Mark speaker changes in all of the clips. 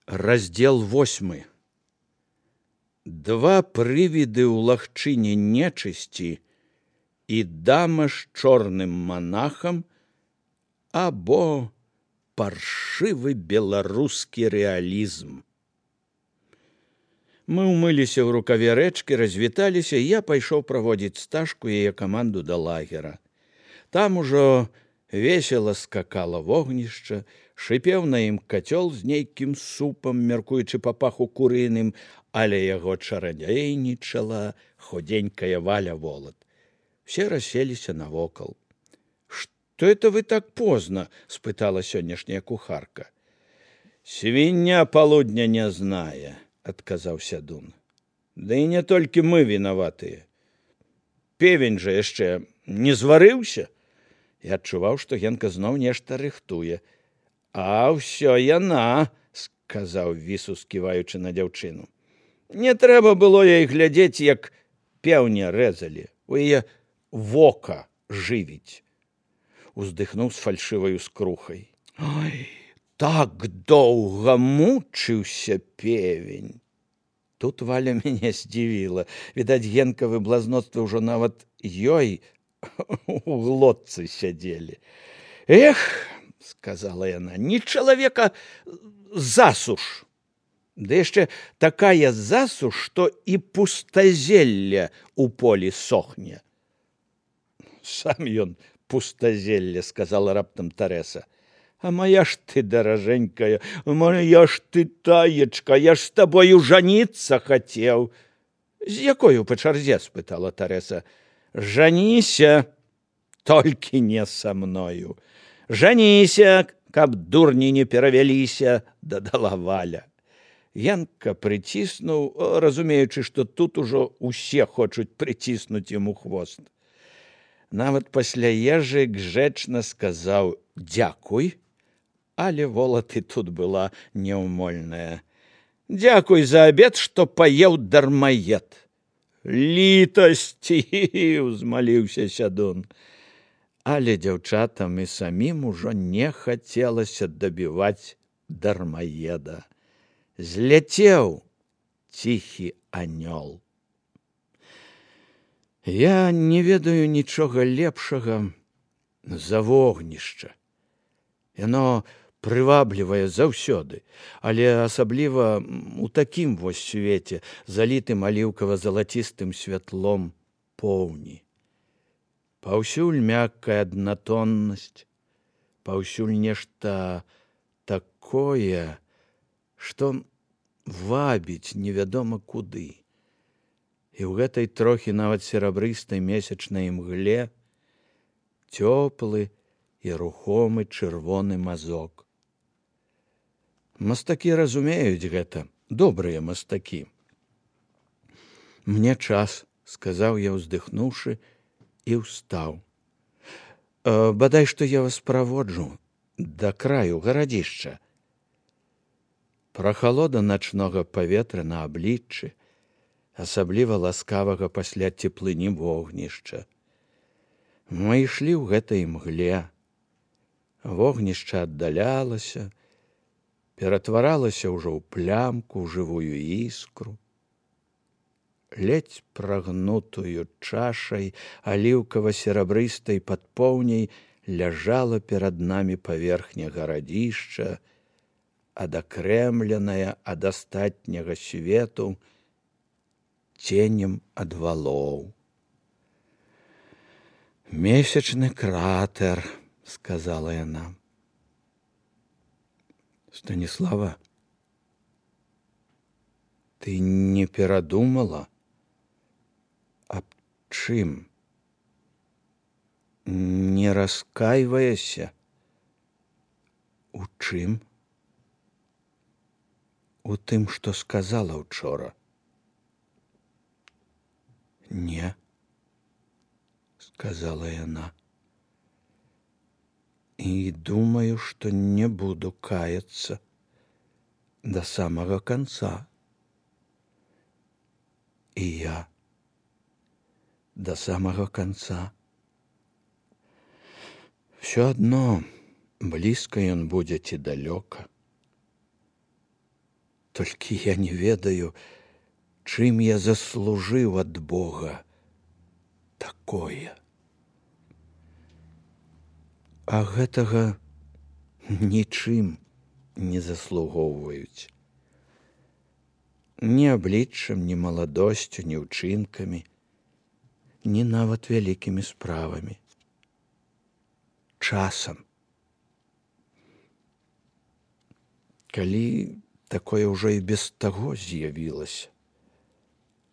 Speaker 1: Раздзел 8. Два прывіды ў лагчыне нечысці і дама з чорным манахам або паршывы беларускі рэалізм. Мы ўмыліся ў рукаве рэчкі, развіталіся, і я пайшоў праводзіць Сташку і яе каманду да лагера. Там ужо весела скакала вогнішча, шыпеў на ім кацёл з нейкім супам, мяркуючы па паху курыным, але яго чарадзейнічала худенькая Валя Волат. Все расселіся навокал. «Что это вы так поздно?» – спытала сённяшняя кухарка. «Свинья полудня не знае», – адказаў сядун. «Да і не толькі мы вінаватыя. Певень жа яшчэ не зварыўся». Я адчуваў, што Генка зноў нешта рыхтуе. «А ўсё яна», – сказаў Вісу, сківаючы на дзяўчыну. «Не трэба было ёй глядзець, як пеўня рэзалі. У яе вока жывіць». Уздыхнуў з фальшываю скрухай. «Ой, так доўга мучыўся певень». Тут Валя мяне здзівіла. Відаць, Генкавы блазноцтвы ўжо нават ёй у глотцы сядзелі. «Эх», — сказала яна, — «не чалавека засуш. Да яшчэ такая засуш, што і пустазелля у полі сохне». «Сам ён пустазелля», — сказала раптам Тарэса. «А моя ж ты, даражэнькая, моя ж ты, таечка, я ж з табою жаніцца хацеў». «З якою па чарзе?» – спытала Тарэса. «Жаніся, толькі не са мною. Жаніся, каб дурні не перавяліся», – дадала Валя. Янка прыціснуў, разумеючы, што тут ужо усе хочуць прыціснуць яму хвост. Нават пасля ежы гжэчна сказаў «дзякуй», але Волат і тут была няўмольная. «Дзякуй за абед, што паеў дармаед». «Літасці!» – узмаліўся сядун. Але дзяўчатам і самім ужо не хацелася дабіваць дармаеда. Зляцеў ціхі анёл. Я не ведаю нічога лепшага за вогнішча. Яно прываблівае заўсёды, але асабліва у такім вось свеце, залітым аліўкава-залацістым святлом поўні. Паўсюль мяккая аднатоннасць, паўсюль нешта такое, што вабіць невядома куды. І ў гэтай трохі нават серабрыстай месячнай імгле цёплы і рухомы чырвоны мазок. Мастакі разумеюць гэта, добрыя мастакі. «Мне час», – сказаў я, уздыхнуўшы, і ўстаў. «Бадай, што я вас праводжу да краю гарадзішча». Прахалода начнога паветра на абліччы, асабліва ласкавага пасля цеплыні вогнішча. Мы ішлі ў гэтай імгле. Вогнішча аддалялася, ператваралася ўжо ў плямку, ў жывую іскру. Ледзь прагнутую чашай аліўкава-серабрыстай падпоўняй ляжала перад намі паверхня гарадзішча, адакрэмленая ад астатняга свету ценем ад валоў. «Месячны кратер», – сказала яна. «Станіслава, ты не перадумала? Аб чым? Не раскайваешся? У чым? У тым, што сказала учора». «Не», – сказала яна. «І думаю, што не буду каяцца да самага канца». «І я да самага канца. Всё адно, блізка ён будзе ці далёка. Толькі я не ведаю, чым я заслужыў ад Бога такое. А гэтага нічым не заслугоўваюць. Ні абліччам, ні маладосцю, ні ўчынкамі, ні нават вялікімі справамі. Часам. Калі такое ўжо і без таго з'явілася,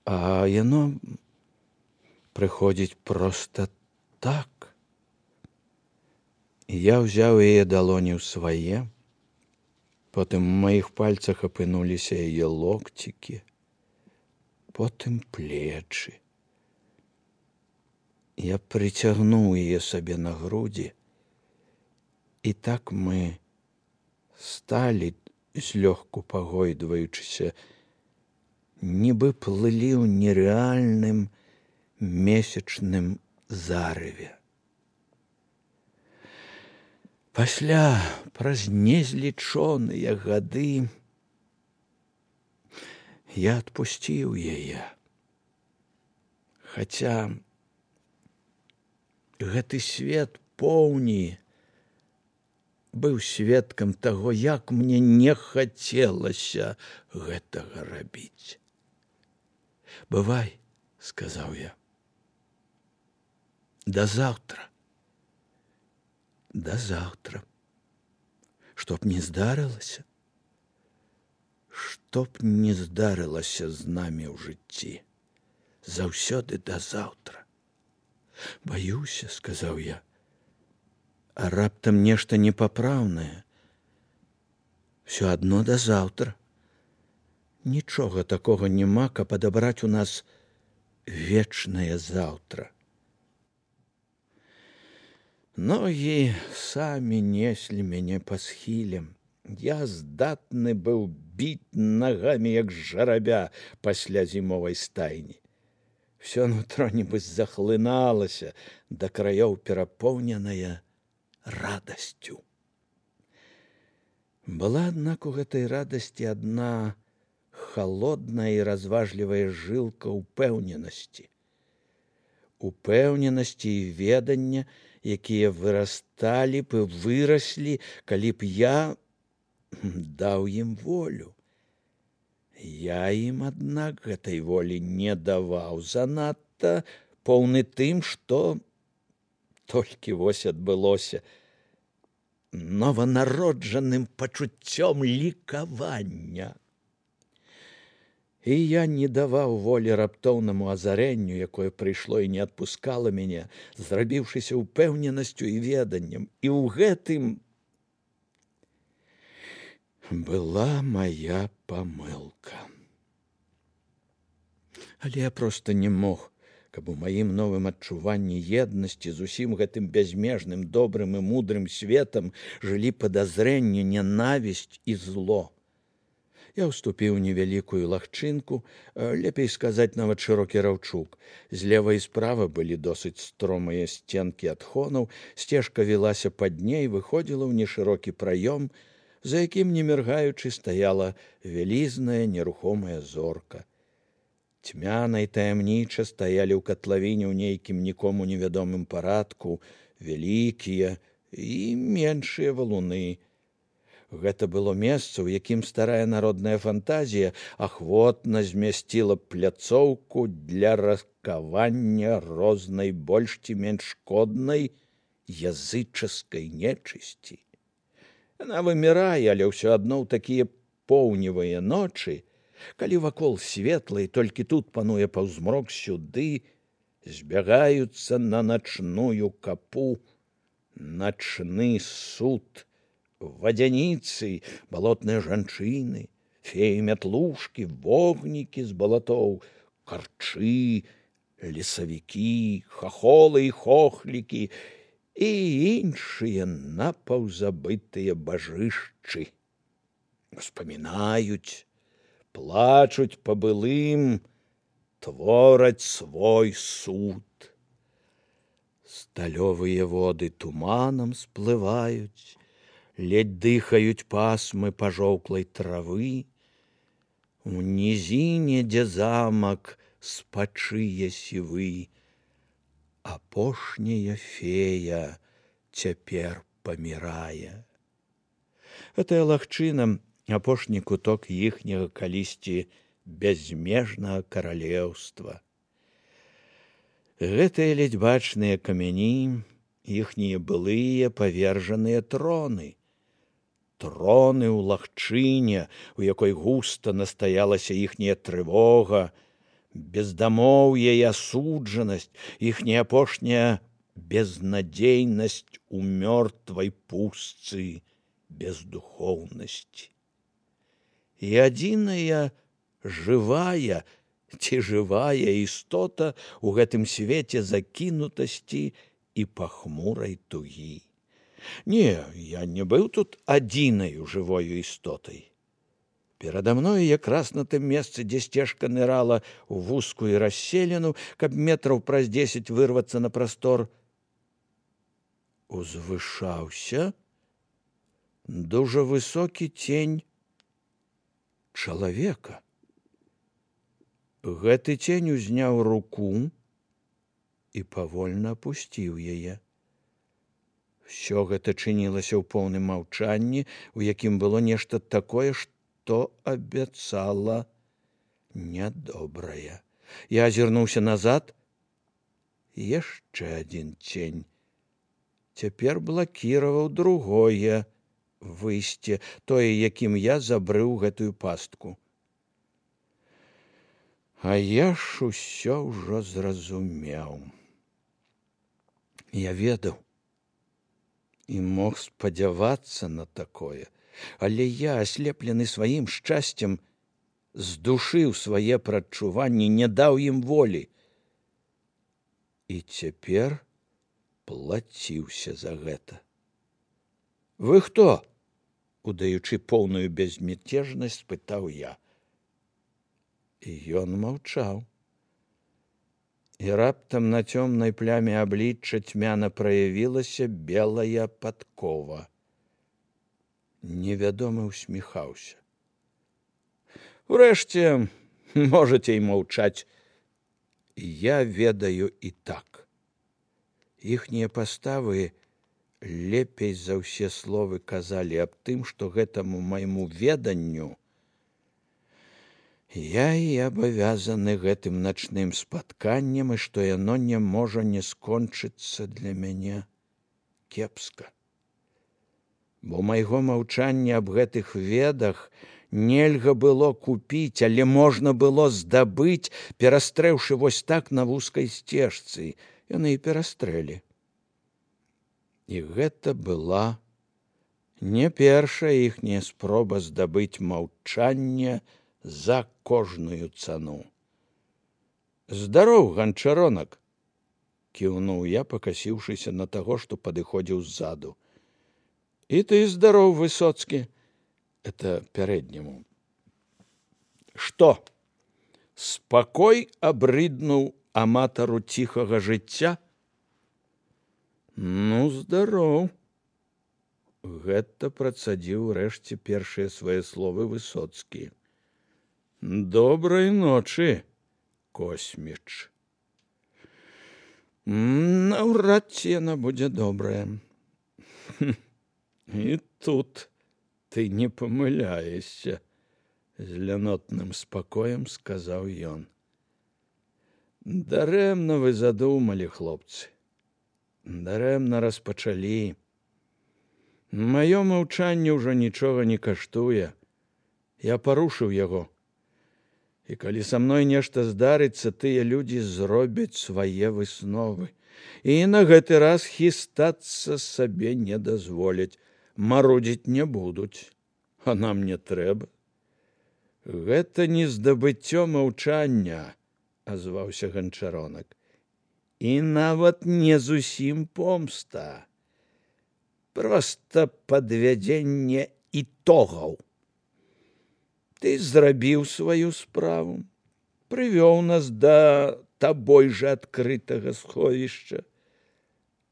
Speaker 1: а яно прыходзіць проста так. Я ўзяў яе далоні ў свае, потым у маіх пальцах апынуліся яе локцікі, потым плечы. Я прыцягнуў яе сабе на грудзі, і так мы сталі, злёгку пагойдваючыся, нібы плылі ў нерэальным месячным зарыве. Пасля, праз незлічоныя гады, я адпусціў яе. Хаця гэты свет поўні быў сведкам таго, як мне не хацелася гэтага рабіць. «Бывай», — сказаў я. «Да заўтра». «Да заўтра». Што б не здарылася? Што б не здарылася з намі ў жыцці? Заўсёды да заўтра. «Баюся», — сказаў я. «А раптам нешта непапраўнае? Всё адно да заўтра. Нічога такога няма, каб падабраць у нас вечнае заўтра». Ногі самі неслі мяне па схілем. Я здатны быў біць нагамі, як жарабя пасля зімовай стайні. Всё нутро нібы захлыналася, да краёў перапоўненае радасцю. Была, аднак, у гэтай радасці адна халодная і разважлівая жылка ўпэўненасці. Упэўненасці і ведання, якія вырасталі б і выраслі, калі б я даў ім волю. Я ім, аднак, гэтай волі не даваў, занадта поўны тым, што толькі вось адбылося, нованароджаным пачуццём лікавання. І я не даваў волі раптоўнаму азарэнню, якое прыйшло і не адпускала мяне, зрабіўшыся ўпэўненасцю і веданнем. І ў гэтым была мая памылка. Але я проста не мог, каб у маім новым адчуванні еднасці з усім гэтым бязмежным, добрым і мудрым светам жылі падазрэнне, нянавісць і зло. Я ўступіў у невялікую лагчынку, лепей сказаць, нават шырокі раўчук. Злева і справа былі досыць стромыя сценкі адхонаў, сцежка вілася пад дне і выходзіла ў нешырокі праём, за якім, не міргаючы, стаяла вялізная нерухомая зорка. Цьмяна і таямніча стаялі ў катлавіне ў нейкім нікому невядомым парадку вялікія і меншыя валуны. Гэта было месца, у якім старая народная фантазія ахвотна змясціла пляцоўку для раскавання рознай больш ці менш шкоднай язычаскай нечысці. Яна вымірае, але ўсё адно ў такія поўневыя ночы, калі вакол светла і толькі тут пануе паўзмрок, сюды збягаюцца на начную капу, начны суд, вадзяніцы, балотныя жанчыны, феі-мятлушкі, вогнікі з балатоў, карчы, лесавікі, хахолы і хохлікі і іншыя напаўзабытыя бажышчы. Успамінаюць, плачуць па былым, твораць свой суд. Сталёвыя воды туманам сплываюць, ледь дыхаюць пасмы пажоўклай травы, У нізіне, дзе замак спачые сівы, апошняя фея цяпер памірае. Гэтая лагчына — апошні куток іхняга калісьці бязмежнага каралеўства. Гэтыя ледзь бачныя камяні — іхнія былыя павержаныя троны. Троны ў лагчыне, у якой густа настаялася іхняя трывога, бездамоўе і асуджанасць, іхняя апошняя безнадзейнасць у мёртвай пустцы бездухоўнасці. І адзіная жывая ці жывая істота ў гэтым свеце закінутасці і пахмурай тугі. Не, я не быў тут адзінаю жывою істотай. Перада мною якраз на тым месцы, дзе сцежка нырала ў вузкую расселіну, каб метраў праз 10 вырвацца на прастор, узвышаўся дужа высокі цень чалавека. Гэты цень узняў руку і павольна апусціў яе. Всё гэта чынілася ў поўным маўчанні, у якім было нешта такое, што абяцала нядобрае. Я азірнуўся назад. Яшчэ адзін цень. Цяпер блакіраваў другое выйсце, тое, якім я забрыў гэтую пастку. А я ж усё ўжо зразумеў. Я ведаў і мог спадзявацца на такое, але я, аслеплены сваім шчасцем, здушыў свае прадчуванні, не даў ім волі. І цяпер плаціўся за гэта. Вы хто? Удаючы поўную безмятежнасць, спытаў я. І ён маўчаў. І раптам на цёмнай пляме аблічча цьмяна праявілася белая падкова. Невядомы усміхаўся. Урэшце, можаце і маўчаць. Я ведаю і так. Іхнія паставы лепей за ўсе словы казалі аб тым, што гэтаму майму веданню я і абавязаны гэтым начным спатканнем, і што яно не можа не скончыцца для мяне кепска. Бо майго маўчання аб гэтых ведах нельга было купіць, але можна было здабыць, перастрэўшы вось так на вузкай сцежцы. Яны і перастрэлі. І гэта была не першая іхняя спроба здабыць маўчанне за кожную цану. Здароў, ганчаронак, кіўнуў я, пакасіўшыся на таго, што падыходзіў ззаду. І ты здароў, Высоцкі. Это пярэдняму. Што? Спакой абрыднуў аматару ціхага жыцця? Ну, здароў. Гэта працадзіў урэшце першыя свае словы Высоцкі. Добрай ночы, Косміч. Наўрад ці яна будзе добрая. І тут ты не памыляешся, з лянотным спакоем сказаў ён. Дарэмна вы задумалі, хлопцы. Дарэмна распачалі. Маё маўчанне ўжо нічога не каштуе. Я парушыў яго. І калі са мной нешта здарыцца, тыя людзі зробяць свае высновы. І на гэты раз хістацца сабе не дазволяць. Марудзіць не будуць. А нам не трэба. Гэта не здабыццё маўчання, азваўся ганчаронак. І нават не зусім помста. Проста падвядзенне ітогаў. Ты зрабіў сваю справу, прывёў нас да табой жа адкрытага сховішча,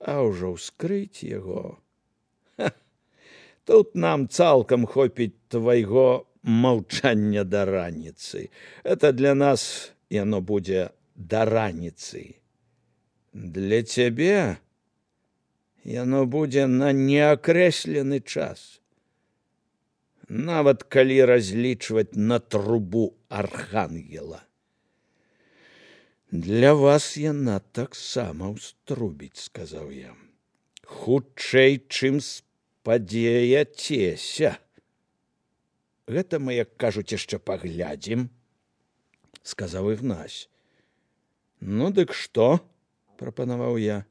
Speaker 1: а ўжо ўскрыць яго. Тут нам цалкам хопіць твайго маўчання да раніцы. Это для нас яно будзе да раніцы. Для цябе яно будзе на неакрэслены час. Нават калі разлічваць на трубу архангела. Для вас яна таксама ўструбіць, сказаў я. Хутчэй, чым спадзеяцеся. Гэта мы, як кажуць, яшчэ паглядзім, сказаў Ігнась. Ну, дык што? Прапанаваў я.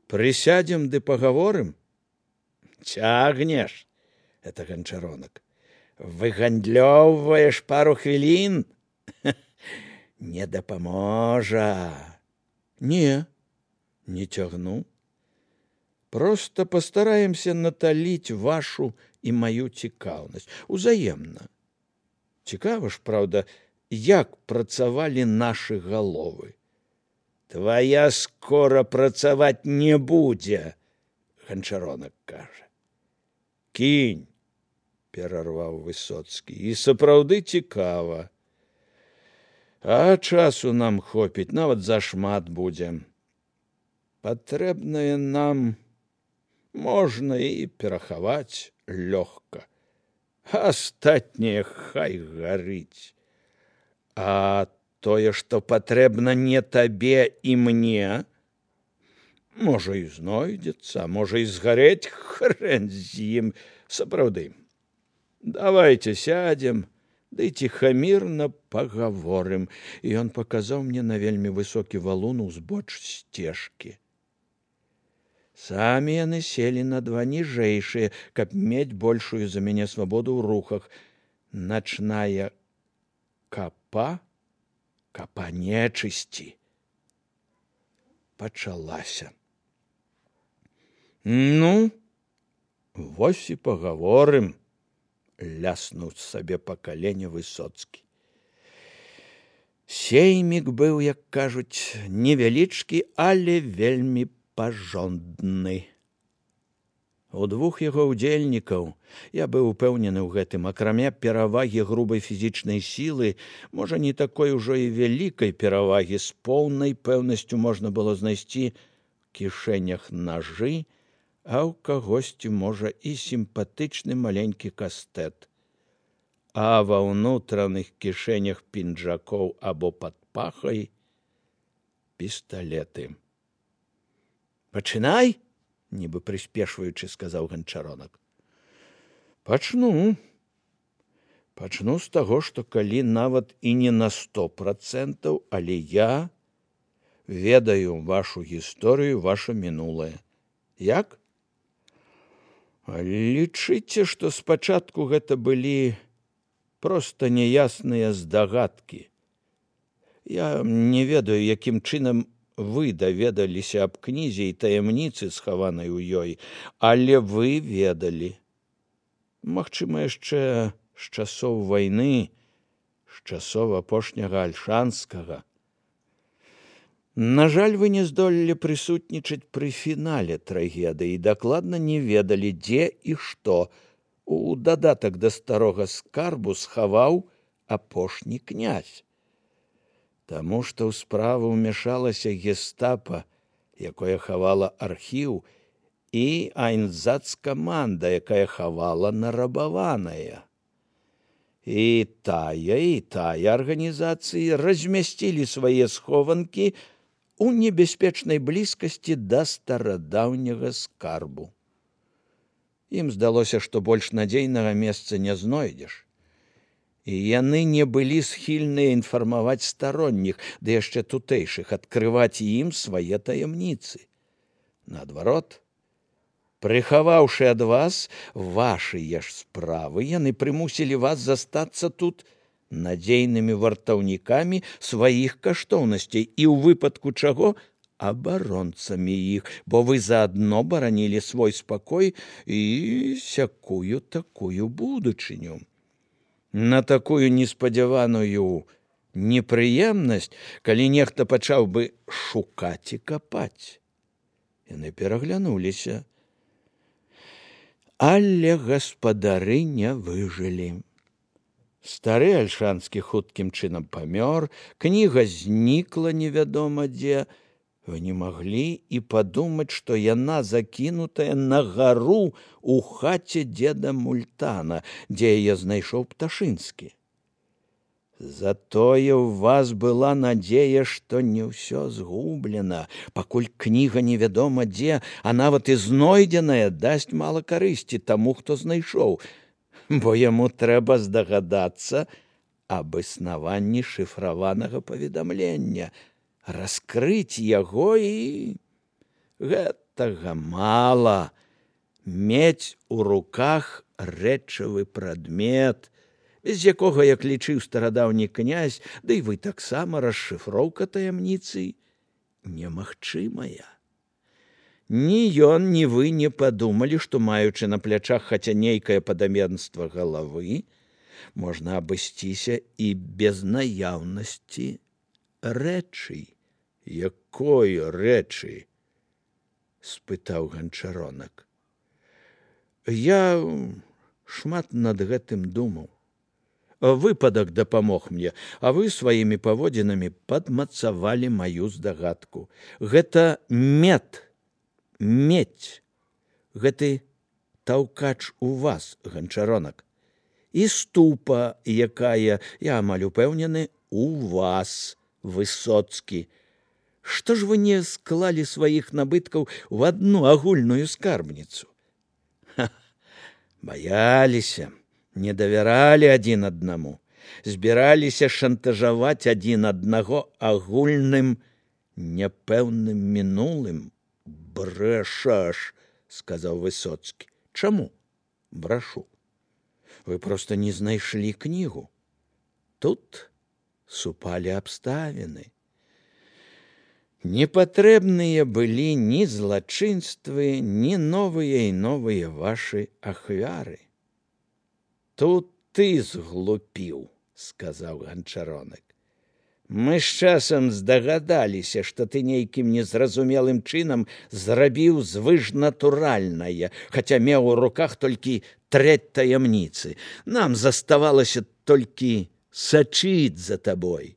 Speaker 1: Прысядзем ды пагаворым? Цягнеш, это Ганчаронак. Выгандлёўваеш пару хвілін? Не дапаможа. Не цягну. Просто постараемся наталіць вашу і маю цікаўнасць. Узаемна. Цікава ж, праўда, як працавалі нашы галовы. Твая скора працаваць не будзе, Ганчаронак кажа. Кінь, перарваў Высоцкі, і сапраўды цікава. А часу нам хопіць, нават зашмат будзе. Патрэбнае нам можна і перахаваць лёгка. Астатняе хай гарыць. А тое, што патрэбна не табе і мне, можа і знойдзецца, можа і згарэць, хрэн з ім. Сапраўды, давайте сядзем, ды ціхамірна пагаворым. І ён паказаў мне на вельмі высокі валун узбоч сцежкі. Самі яны селі на два ніжэйшыя, каб мець большую за мяне свабоду ў рухах. Начная капа нечысці пачалася. Ну, вось і пагаворым, ляснуў сабе па калене Высоцкі. Сеймік быў, як кажуць, невялічкі, але вельмі пажондны. У двух яго ўдзельнікаў, я быў упэўнены ў гэтым, акрамя перавагі грубай фізічнай сілы, можа, не такой ужо і вялікай перавагі, з поўнай пэўнасцю можна было знайсці ў кішэнях нажы, а ў кагосьці, можа, і сімпатычны маленькі кастэт. А ва ўнутраных кішэнях пінжакоў або пад пахай пісталеты. Пачынай, нібы прыспешваючы, сказаў Ганчаронак. Пачну з таго, што калі нават і не на 100%, але я ведаю вашу гісторыю, ваше мінулае. Як? Лічыце, што спачатку гэта былі проста няясныя здагадкі. Я не ведаю, якім чынам вы даведаліся аб кнізе і таямніцы, схаванай у ёй, але вы ведалі. Магчыма, яшчэ з часоў вайны, з часоў апошняга Альшанскага. На жаль, вы не здолелі прысутнічаць пры фінале трагедыі і дакладна не ведалі, дзе і што у дадатак да старога скарбу схаваў апошні князь. Таму што ў справу ўмяшалася гестапа, якое хавала архіў, і айнзац-каманда, якая хавала нарабаванае. І тая арганізацыі размясцілі свае схованкі у небяспечнай блізкасці да старадаўняга скарбу. Ім здалося, што больш надзейнага месца не знойдзеш. І яны не былі схільныя інфармаваць старонніх, ды яшчэ тутэйшых, адкрываць ім свае таямніцы. Наадварот, прыхаваўшы ад вас вашыя ж справы, яны прымусілі вас застацца тут надзейнымі вартаўнікамі сваіх каштоўнасцей і ў выпадку чаго абаронцамі іх, бо вы заадно баранілі свой спакой і сякую такую будучыню. На такую неспадзяваную непрыемнасць, калі нехта пачаў бы шукаць і капаць. Яны пераглянуліся. Але гаспадары не выжылі. Стары альшанскі хуткім чынам памёр, кніга знікла невядома дзе. Вы не маглі і падумаць, што яна закінутая на гару у хаце дзеда Мультана, дзе яе знайшоў Пташынскі. Затое ў вас была надзея, што не ўсё згублена, пакуль кніга невядома дзе, а нават і знойдзеная дасць мала карысці таму, хто знайшоў, бо яму трэба здагадацца аб існаванні шыфраванага паведамлення, раскрыць яго і... Гэтага мала. Мець у руках рэчавы прадмет, без якога, як лічыў старадаўні князь, ды і вы таксама, расшыфроўка таямніцы немагчымая. Ні ён, ні вы не падумалі, што, маючы на плячах хаця нейкае падаменства галавы, можна абысціся і без наяўнасці рэчы. Якой рэчы? Спытаў Ганчаронак. Я шмат над гэтым думаў. Выпадак дапамог мне, а вы сваімі паводзінамі падмацавалі маю здагадку. Гэта медь. Гэты таўкач у вас, Ганчаронак. І ступа, якая, я амаль упэўнены, у вас, Высоцкі. Што ж вы не склалі сваіх набыткаў в адну агульную скарбніцу? Баяліся, не давяралі адзін аднаму, збіраліся шантажаваць адзін аднаго агульным няпэўным мінулым. Брэшаш, сказаў Высоцкі. Чаму брашу? Вы проста не знайшлі кнігу. Тут супалі абставіны. Непатрэбныя былі ні злачынствы, ні новыя і новыя вашы ахвяры. Тут ты зглупіў, сказаў Ганчаронак. Мы з часам здагадаліся, што ты нейкім незразумелым чынам зрабіў звышнатуральнае, хаця меў у руках толькі трэць таямніцы. Нам заставалася толькі сачыць за табой.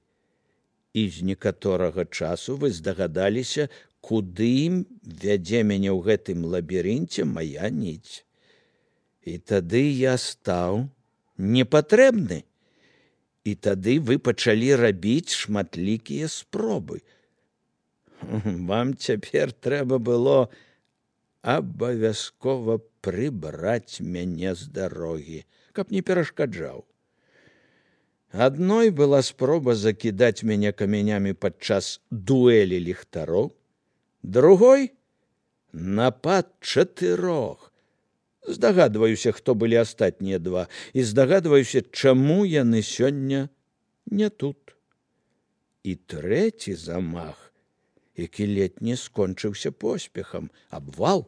Speaker 1: І з некаторага часу вы здагадаліся, куды вядзе мяне ў гэтым лабірынце мая ніць. І тады я стаў непатрэбны. І тады вы пачалі рабіць шматлікія спробы. Вам цяпер трэба было абавязкова прыбраць мяне з дарогі, каб не перашкаджаў. Адной была спроба закідаць мяне камянямі падчас дуэлі ліхтароў, другой — напад 4. Здагадваюся, хто былі астатнія 2, і здагадваюся, чаму яны сёння не тут. І трэці замах, які ледзь не скончыўся поспехам, абвал.